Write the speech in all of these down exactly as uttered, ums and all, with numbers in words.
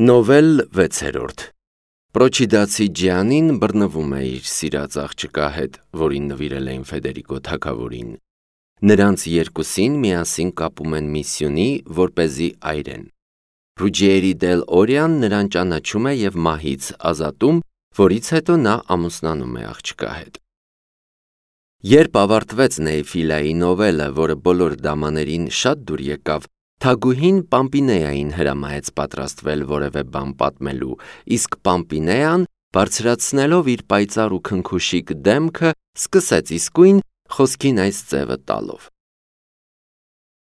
Նովել վեցերորդ Պրոչիդացի Ջիանին բռնվում է իր սիրած աղջկա հետ, որին նվիրել էին Ֆեդերիկո թագավորին։ Նրանց երկուսին միասին կապում են միսյունի, որպեսզի այրեն։ Ռուջիերի դել Օրիան նրան ճանաչում է և մահից ազատում, որից հետո նա ամուսնանում է աղջկա հետ։ Երբ ավարտվեց Նեյֆիլայի նովելը, որը բոլոր դամաներին շատ դուր եկավ, թագուհին Պամպինեային հրամայեց պատրաստվել որևէ բան պատմելու, իսկ Պամպինեան, բարձրացնելով իր պայծառ ու քնքուշիկ դեմքը, սկսեց իսկույն խոսքին այս ձևը տալով.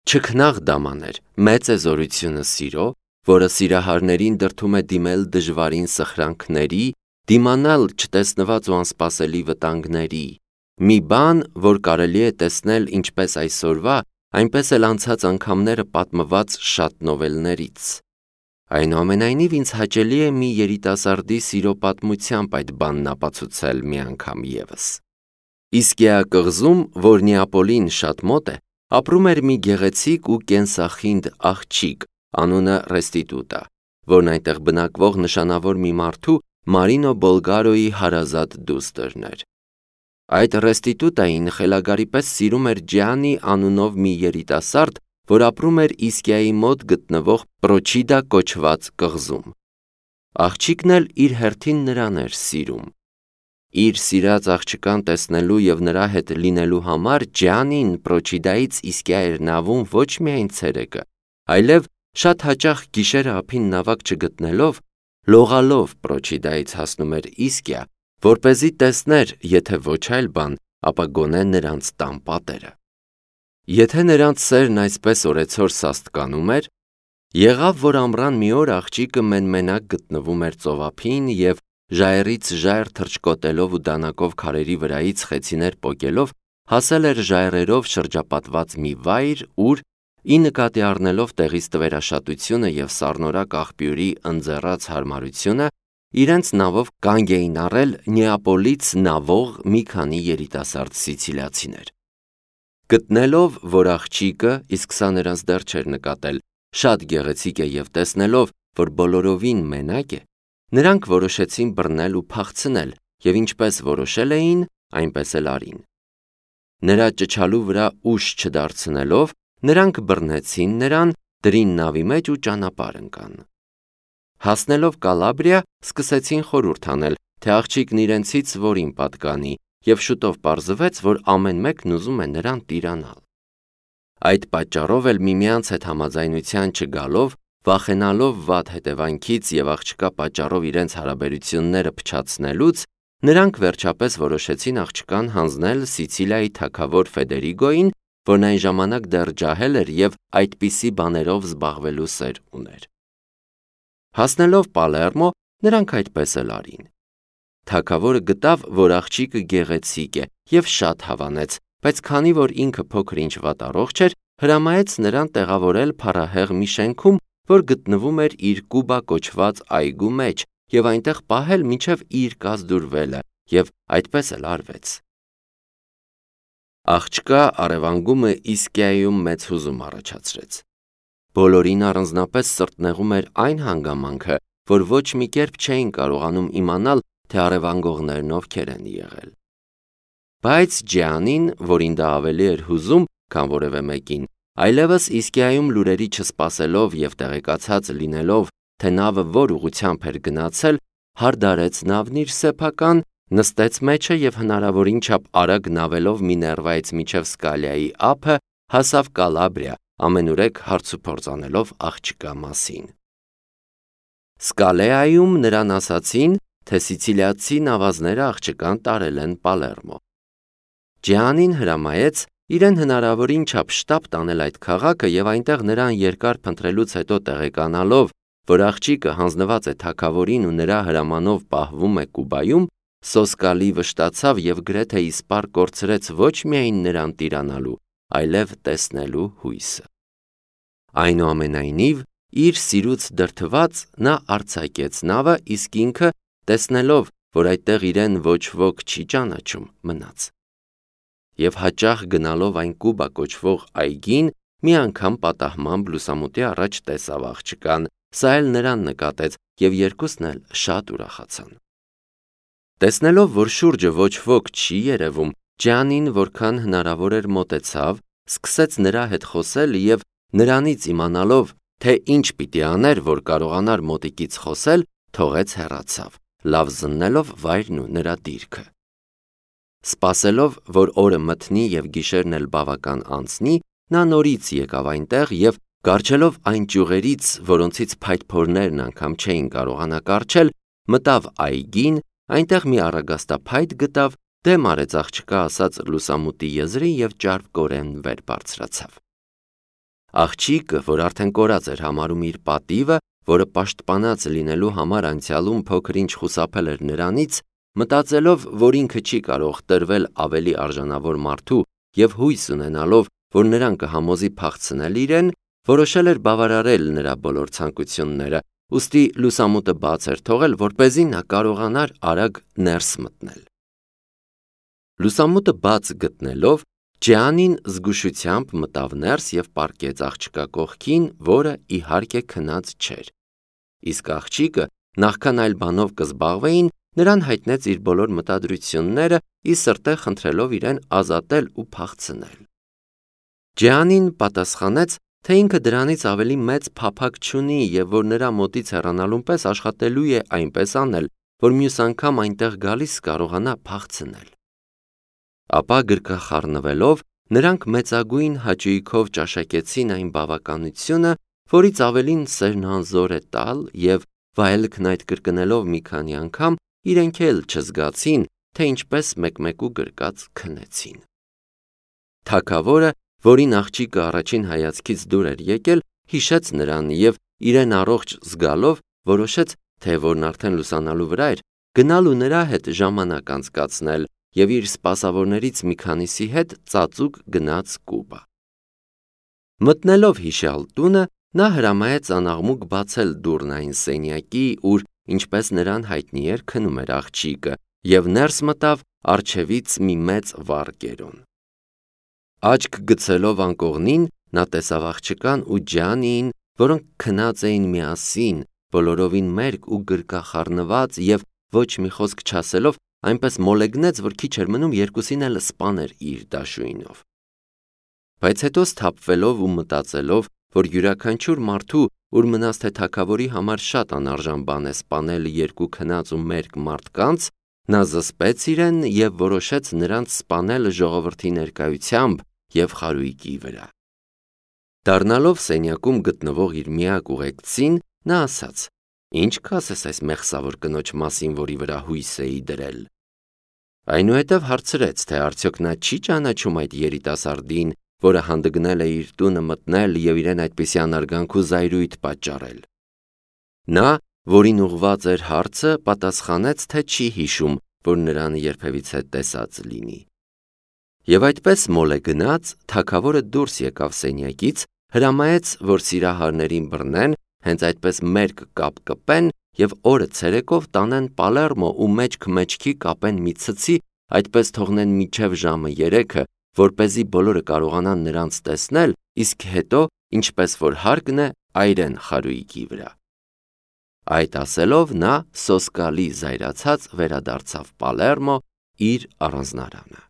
Չքնաղ դամաներ, մեծ է զորությունը սիրո, որը սիրահարներին դրդում է դիմել դժվարին սխրանքների, դիմանալ չտեսնված ու անսպասելի վտանգների, մի բան, որ կարելի է տեսնել ինչպես այսօրվա, այնպես էլ անցած անգամները պատմված շատ նովելներից։ Այնուամենայնիվ ինձ հաճելի է մի երիտասարդի սիրո պատմությամբ այդ բանն ապացուցել մի անգամ ևս։ Իսկիա կղզում, որ Նեապոլին շատ մոտ է, ապրում էր մի գեղեցիկ ու կենսախինդ աղջիկ, անունը Ռեստիտուտա, որն այնտեղ բնակվող նշանավոր մի մարդու Մարինո Բոլգարոյի հարազատ դուստրն էր։ Այդ Ռեստիտուտային խելագարի պես սիրում էր Ջիանի անունով մի երիտասարդ, որ ապրում էր Իսկիայի մոտ գտնվող Պրոչիդա կոչված կղզում։ Աղջիկն էլ իր հերթին նրան էր սիրում։ Իր սիրած աղջկան տեսնելու և նրա հետ լինելու համար Ջիանին Պրոչիդայից Իսկիա էր նավում ոչ միայն ցերեկը, այլև շատ հաճախ գիշերը ափին նավակ չգտնելով, լողալով Պրոչիդայից հասնում էր Իսկիա, որպեսզի տեսներ, եթե ոչ այլ բան, ապա գոնե նրանց տան պատերը։ Եթե նրանց սերն այսպես օրեցօր սաստկանում էր, եղավ, որ ամռան մի օր աղջիկը մեն-մենակ գտնվում էր ծովափին և ժայռից ժայռ թռչկոտելով ու դանակով քարերի վրայից խեցիներ պոկելով, հասել էր ժայռերով շրջապատված մի վայր, ուր, ի նկատի առնելով տեղից տվերաշատությունը և սառնորակ աղբյուրի ընձեռած հարմարությունը, իրենց նավով կանգ էին առել Նեապոլից նավող մի քանի երիտասարդ սիցիլիացիներ։ Գտնելով, որ աղջիկը, իսկ սա նրանց դեռ չէր նկատել, շատ գեղեցիկ է և տեսնելով, որ բոլորովին մենակ է, նրանք որոշեցին բռնել ու փախցնել և ինչպես որոշել էին, այնպես էլ արին։ Նրա ճչալու վրա ուժ չդարձնելով, նրանք բռնեցին նրան, դրին նավի մեջ ու ճանապարհ ընկան։ Հասնելով Կալաբրիա, սկսեցին խորհուրդ անել, թե աղջիկն իրենցից որին պատկանի, և շուտով պարզվեց, որ ամեն մեկն ուզում է նրան տիրանալ։ Այդ պատճառով էլ միմյանց հետ համաձայնության չգալով, վախենալով վատ հետևանքից և աղջկա պատճառով իրենց հարաբերությունները փչացնելուց, նրանք վերջապես որոշեցին աղջկան հանձնել Սիցիլիայի թագավոր Ֆեդերիկոյին, որն այն ժամանակ դեռ ջահել էր և այդպիսի բաներով զբաղվելու սեր ուներ։ Հասնելով Պալերմո, նրանք այդպես էլ արին։ Թագավորը գտավ, որ աղջիկը գեղեցիկ է և շատ հավանեց, բայց քանի որ ինքը փոքր-ինչ վատառողջ էր, հրամայեց նրան տեղավորել փառահեղ մի շենքում, որ գտնվում էր իր Կուբա կոչված այգու մեջ, և այնտեղ պահել, մինչև իր կազդուրվելը, և այդպես էլ արվեց։ Աղջկա առևանգումը Իսկիայում մեծ հուզում առաջացրեց։ Բոլորին առանձնապես սրտնեղում էր այն հանգամանքը, որ ոչ մի կերպ չէին կարողանում իմանալ, թե առևանգողներն ովքեր են եղել։ Բայց Ջիանին, որին դա ավելի էր հուզում, քան որևէ մեկին, այլևս Իսկիայում լուրերի չսպասելով և տեղեկացած լինելով, թե նավը որ ուղղությամբ էր գնացել, հարդարեց նավն իր սեփական, նստեց մեջը և հնարավորին չափ արագ նավելով Միներվայից մինչև Սկալիայի ափը, հասավ Կալաբրիա, ամենուրեք հարցուփորձ անելով աղջկա մասին։ Սկալեայում նրան ասացին, թե սիցիլիացի նավազները աղջկան տարել են Պալերմո։ Ջիանին հրամայեց իրեն հնարավորին չափ շտապ տանել այդ քաղաքը և այնտեղ նրան երկար փնտրելուց հետո տեղեկանալով, որ աղջիկը հանձնված է թագավորին ու նրա հրամանով պահվում է Կուբայում, սոսկալի վշտացավ և գրեթե իսպառ կորցրեց ոչ միայն նրան տիրանալու, այլև տեսնելու հույսը։ Այնուամենայնիվ, իր սիրուց դրդված, նա արձակեց նավը, իսկ ինքը, տեսնելով, որ այդտեղ իրեն ոչ ոք չի ճանաչում, մնաց։ Եվ հաճախ գնալով այն Կուբա կոչվող այգին, մի անգամ պատահմամբ լուսամուտի առաջ տեսավ աղջկան, սա էլ նրան նկատեց և երկուսն էլ շատ ուրախացան։ Տեսնելով, որ շուրջը ոչ ոք չի երևում, Ջյանին որքան հնարավոր էր մոտեցավ, սկսեց նրա հետ խոսել և նրանից իմանալով, թե ինչ պիտի աներ, որ կարողանար մոտիկից խոսել, թողեց հեռացավ, լավ զննելով վայրն ու նրա դիրքը։ Սպասելով, որ օրը մթնի և գիշերն էլ բավական անցնի, նա նորից եկավ այնտեղ և կառչելով այն ճյուղերից, որոնցից փայտփորներն անգամ չէին կարողանա կառչել, մտավ այգին, այնտեղ մի առագաստափայտ գտավ, դեմ արեց աղջկա ասած լուսամուտի եզրին և ճարպկորեն վեր բարձրացավ։ Աղջիկը, որ արդեն կորած էր համարում իր պատիվը, որը պաշտպանած լինելու համար անցյալում փոքր-ինչ խուսափել էր նրանից, մտածելով, որ ինքը չի կարող տրվել ավելի արժանավոր մարդու և հույս ունենալով, որ նրան կհամոզի փախցնել իրեն, որոշել էր բավարարել նրա բոլոր ցանկությունները, ուստի լուսամուտը բաց էր թողել, որպեսզի նա կարողանար արագ ներս մտնել։ Լուսամուտը բաց գտնելով, Ջյանին զգուշությամբ մտավ ներս և պառկեց աղջկա կողքին, որը իհարկե քնած չէր։ Իսկ աղջիկը, նախքան այլ բանով կզբաղվեին, նրան հայտնեց իր բոլոր մտադրությունները, ի սրտե խնդրելով իրեն ազատել ու փախցնել։ Ջյանին պատասխանեց, թե ինքը դրանից ավելի մեծ փափագ չունի և որ նրա մոտից հեռանալուն պես աշխատելու է այնպես անել, որ մյուս անգամ այնտեղ գալիս կարողանա փախցնել։ Ապա գրկախառնվելով, նրանք մեծագույն հաճույքով ճաշակեցին այն բավականությունը, որից ավելին սերն անզոր է տալ և վայելքն այդ կրկնելով մի քանի անգամ, իրենք էլ չզգացին, թե ինչպես մեկմեկու գրկած քնեցին։ Թագավորը, որին աղջիկը առաջին հայացքից դուր էր եկել, հիշեց նրան և իրեն առողջ զգալով որոշեց, թե որն արդեն լուսանալու վրա էր, գնալ ու նրա հետ ժամանակ անցկացնել և իր սպասավորներից մի քանիսի հետ ծածուկ գնաց Կուբա։ Մտնելով հիշյալ տունը, նա հրամայեց անաղմուկ բացել դուռն այն սենյակի, ուր, ինչպես նրան հայտնի էր, քնում էր աղջիկը, և ներս մտավ առջևից մի մեծ վառ կերոն։ Աչք գցելով անկողնին, նա տեսավ աղջկան ու Ջյանիին, որոնք քնած էին միասին, բոլորովին մերկ ու գրկախառնված և ոչ մի խոսք չասելով, այնպես մոլեգնեց, որ քիչ էր մնում երկուսին էլ սպաներ իր դաշույնով։ Բայց հետո սթափվելով ու մտածելով, որ յուրաքանչյուր մարդու, ուր մնաց թե թագավորի համար շատ անարժան բան է սպանել երկու քնած ու մերկ մարդկանց, նա զսպեց իրեն և որոշեց նրանց սպանել ժողովրդի ներկայությամբ և խարույկի վրա։ Դառնալով սենյակում գտնվող իր միակ ուղեկցին, նա ասաց. «Ինչ կասես այս մեղսավոր կնոջ մասին, որի վրա հույս էի դրել»։ Այնուհետև հարցրեց, թե արդյոք նա չի ճանաչում այդ երիտասարդին, որը հանդգնել է իր տունը մտնել և իրեն այդպիսի անարգանք ու զայրույթ պատճառել։ Նա, որին ուղղված էր հարցը, պատասխանեց, թե չի հիշում, որ նրան երբևիցե տեսած լինի։ Եվ այդպես մոլեգնած, թագավորը դուրս եկավ սենյակից, հրամայեց, որ սիրահարներին բռնեն, հենց այդպես մերկ կապ կպեն և օրը ցերեկով տանեն Պալերմո ու մեջք-մեջքի կապեն մի ցցի, այդպես թողնեն մինչև ժամը երեքը, որպեսզի բոլորը կարողանան նրանց տեսնել, իսկ հետո, ինչպես որ հարկն է, այրեն խարույկի վրա։ Այդ ասելով, նա սոսկալի զայրացած վերադարձավ Պալերմո իր առանձնարանը։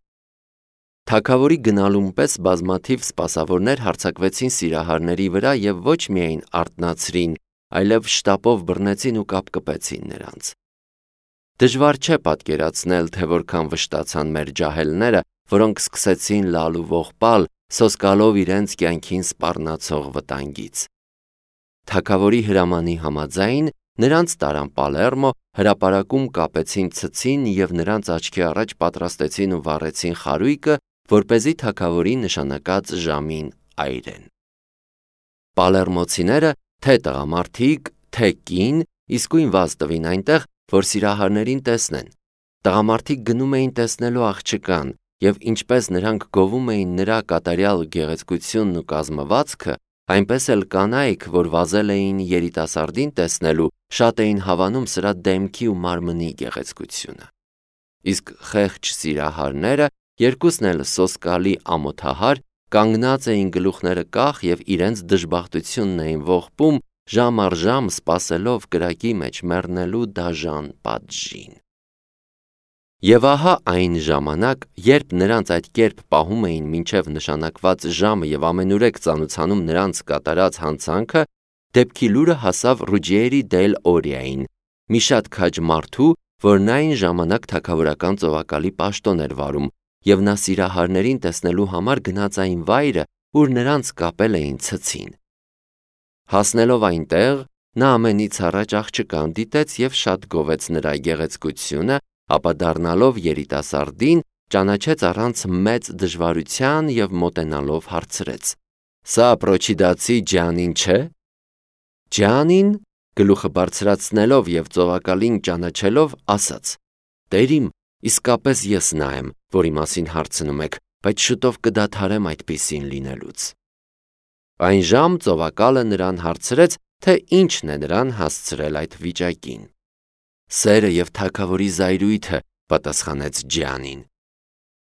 Թագավորի գնալուն պես բազմաթիվ սպասավորներ հարձակվեցին սիրահարների վրա և ոչ միայն արթնացրին, այլև շտապով բռնեցին ու կապկպեցին նրանց։ Դժվար չէ պատկերացնել, թե որքան վշտացան մեր ջահելները, որոնք սկսեցին լալ ու ողբալ, սոսկալով իրենց կյանքին սպառնացող վտանգից։ Թագավորի հրամանի համաձայն նրանց տարան Պալերմո, հրապարակում կապեցին ցցին և նրանց աչքի առաջ պատրաստեցին ու վառեցին խարույկը, որպեսզի թագավորի նշանակած ժամին այրեն։ Պալերմոցիները, թե տղամարդիկ, թե կին, իսկույն վազ տվին այնտեղ, որ սիրահարներին տեսնեն։ Տղամարդիկ գնում էին տեսնելու աղջկան, և ինչպես նրանք գովում էին նրա կատարյալ գեղեցկությունն ու կազմվածքը, այնպես էլ կանայք, որ վազել էին երիտասարդին տեսնելու, շատ էին հավանում սրա դեմքի ու մարմնի գեղեցկությունը։ Իսկ խեղճ սիրահարները, երկուսն էլ սոսկալի ամոթահար, կանգնած էին գլուխները կախ և իրենց դժբախտությունն էին ողբում, ժամ առ ժամ սպասելով կրակի մեջ մեռնելու դաժան պատժին։ Եվ ահա այն ժամանակ, երբ նրանց այդ կերպ պահում էին մինչև նշանակված ժամը և ամենուրեք ծանոթանում նրանց կատարած հանցանքը, դեպքի լուրը հասավ Ռուջիերի դել Օրիային, մի շատ քաջ մարդու, որն այն ժամանակ թագավորական ծովակալի պաշտոն էր վարում, և նա սիրահարներին տեսնելու համար գնաց այն վայրը, ուր նրանց կապել էին ցցին։ Հասնելով այնտեղ, նա ամենից առաջ աղջկան դիտեց և շատ գովեց նրա գեղեցկությունը, ապա դառնալով երիտասարդին, ճանաչեց առանց մեծ դժվարության և մոտենալով հարցրեց. «Սա Պրոչիդացի Ջանին չէ»։ Ջանին, գլուխը բարձրացնելով և ծովակալին ճանաչելով, ասաց. «Տեր իմ, իսկապես ես նա եմ, որի մասին հարցնում եք, բայց շուտով կդադարեմ այդպիսին լինելուց»։ Այն ժամ ծովակալը նրան հարցրեց, թե ինչն է նրան հասցրել այդ վիճակին։ «Սերը և թագավորի զայրույթը», պատասխանեց Ջանին։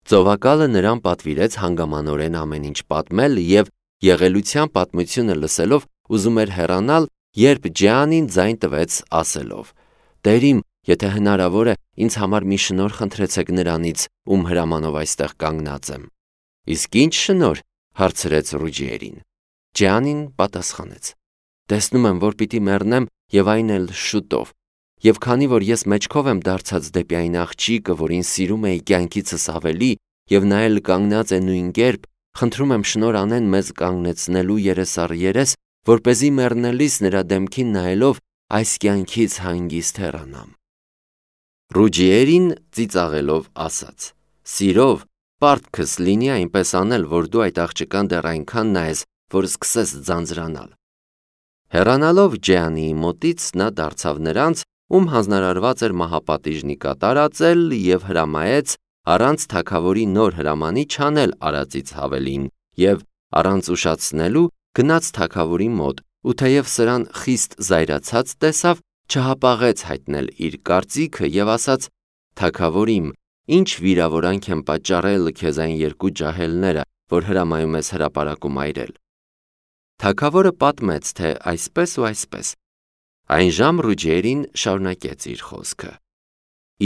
Ծովակալը նրան պատվիրեց հանգամանորեն ամեն ինչ պատմել և եղելության պատմությունը լսելով ուզում էր հեռանալ, երբ Ջանին ձայն տվեց ասելով. «Տեր իմ, եթե հնարավոր է, ինձ համար մի շնորհ խնդրեցեք նրանից, ում հրամանով այստեղ կանգնած եմ»։ «Իսկ ի՞նչ շնորհ», հարցրեց Ռուջիերին։ Ջանին պատասխանեց. «Տեսնում եմ, որ պիտի մեռնեմ և այն էլ շուտով, և քանի որ ես մեջքով եմ դարձած դեպի այն աղջիկը, որին սիրում էի կյանքիցս ավելի, և նա էլ կանգնած է նույն կերպ, խնդրում եմ շնորհ անեն մեզ կանգնեցնելու երես առ երես, որպեսզի մեռնելիս նրա դեմքին նայելով այս կյանքից հանգիստ հեռանամ»։ Ռուջիերին ծիծաղելով ասաց. «Սիրով, պարտքս լինի այնպես անել, որ դու այդ աղջկան դեռ այնքան նայես, որ սկսես ձանձրանալ»։ Հեռանալով Ջանիի մոտից նա դարձավ նրանց, ում հանձնարարված էր մահապատիժնի կատարածել, և հրամայեց առանց թագավորի նոր հրամանի չանել արածից հավելին, և առանց ուշացնելու գնաց թագավորի մոտ, ու թեև սրան խիստ զայրացած տեսավ, չհապաղեց հայտնել իր կարծիքը և ասաց. «Թագավոր իմ, ինչ վիրավորանք են պատճառել քեզ այն երկու ջահելները, որ հրամայում ես հրապարակում այրել»։ Թագավորը պատմեց, թե այսպես ու այսպես։ Այն ժամ Ռուջիերին շարունակեց իր խոսքը.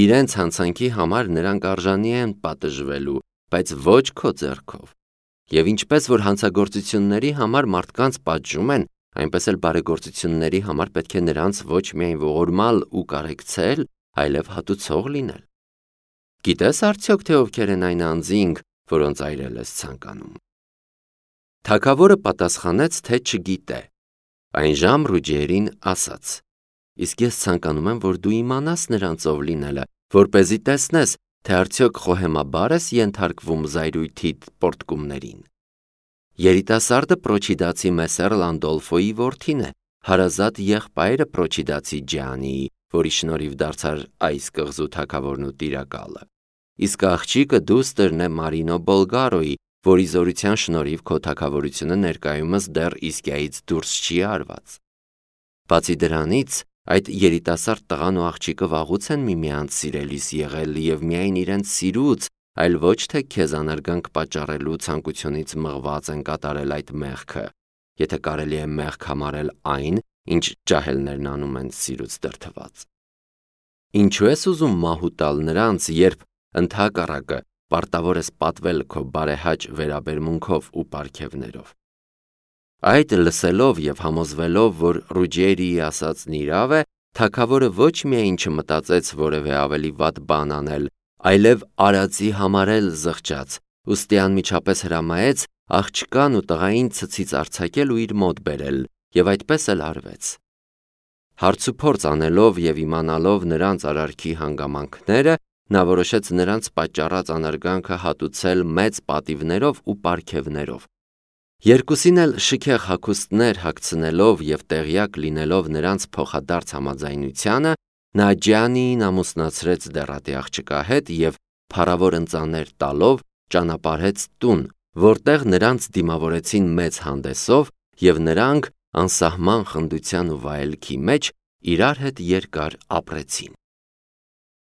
«Իրենց հանցանքի համար նրանք արժանի են պատժվելու, բայց ոչ քո ձեռքով։ Եվ ինչպես որ հանցագործությունների համար մարդկանց պատժում են, այնպես էլ բարեգործությունների համար պետք է նրանց ոչ միայն ողորմալ ու կարեկցել, այլև հատուցող լինել։ Գիտես արդյոք, թե ովքեր են այն անձինք, որոնց այրել ես ցանկանում»։ Թագավորը պատասխանեց, թե չգիտե։ Այն ժամ Ռուջիերին ասաց. «Իսկ ես ցանկանում եմ, որ դու իմանաս նրանց ով լինելը, որպեսզի տեսնես, թե արդյոք խոհեմաբա՞ր ես ենթարկվում զայրույթիդ պոռթկումներին։ Երիտասարդը Պրոչիդացի Մեսեր Լանդոլֆոյի որդին է, հարազատ եղբայրը Պրոչիդացի Ջանիի, որի շնորհիվ դարձար այս կղզու թագավորն ու տիրակալը։ Իսկ աղջիկը դուստրն է Մարինո Բոլգարոյի, որի զորության շնորհիվ քո թագավորությունը ներկայումս դեռ Իսկիայից դուրս չի արված։ Բացի դրանից, այդ երիտասարդ տղան ու աղջիկը վաղուց են միմյանց սիրելիս եղել և միայն իրենց սիրուց, այլ ոչ թե քեզ անարգանք պատճառելու ցանկությունից մղված են կատարել այդ մեղքը, եթե կարելի է մեղք համարել այն, ինչ ջահելներն անում են սիրուց դրդված։ Ինչու ես ուզում մահու տալ նրանց, երբ ընդհակառակը պարտավոր ես պատվել քո բարեհաճ վերաբերմունքով ու պարգևներով։ Այդ լսելով և համոզվելով, որ Ռուջիերիի ասածն իրավ է, թագավորը ոչ միայն չմտածեց որևէ ավելի վատ բան անել, այլև արածի համարել զղջաց, ուստի անմիջապես հրամայեց աղջկան ու տղային ցցից արձակել ու իր մոտ բերել, և այդպես էլ արվեց։ Հարցուփորձ անելով և իմանալով նրանց արարքի հանգամանքները, նա որոշեց նրանց պատճառած անարգանքը հատուցել մեծ պատիվներով ու պարգևներով։ Երկուսին էլ շքեղ հագուստներ հագցնելով և տեղյակ լինելով նրանց փոխադարձ համաձայնությանը, նա Ջանիին ամուսնացրեց դեռատի աղջկա հետ և փառավոր ընծաներ տալով ճանապարհեց տուն, որտեղ նրանց դիմավորեցին մեծ հանդեսով, և նրանք անսահման խնդության ու վայելքի մեջ իրար հետ երկար ապրեցին։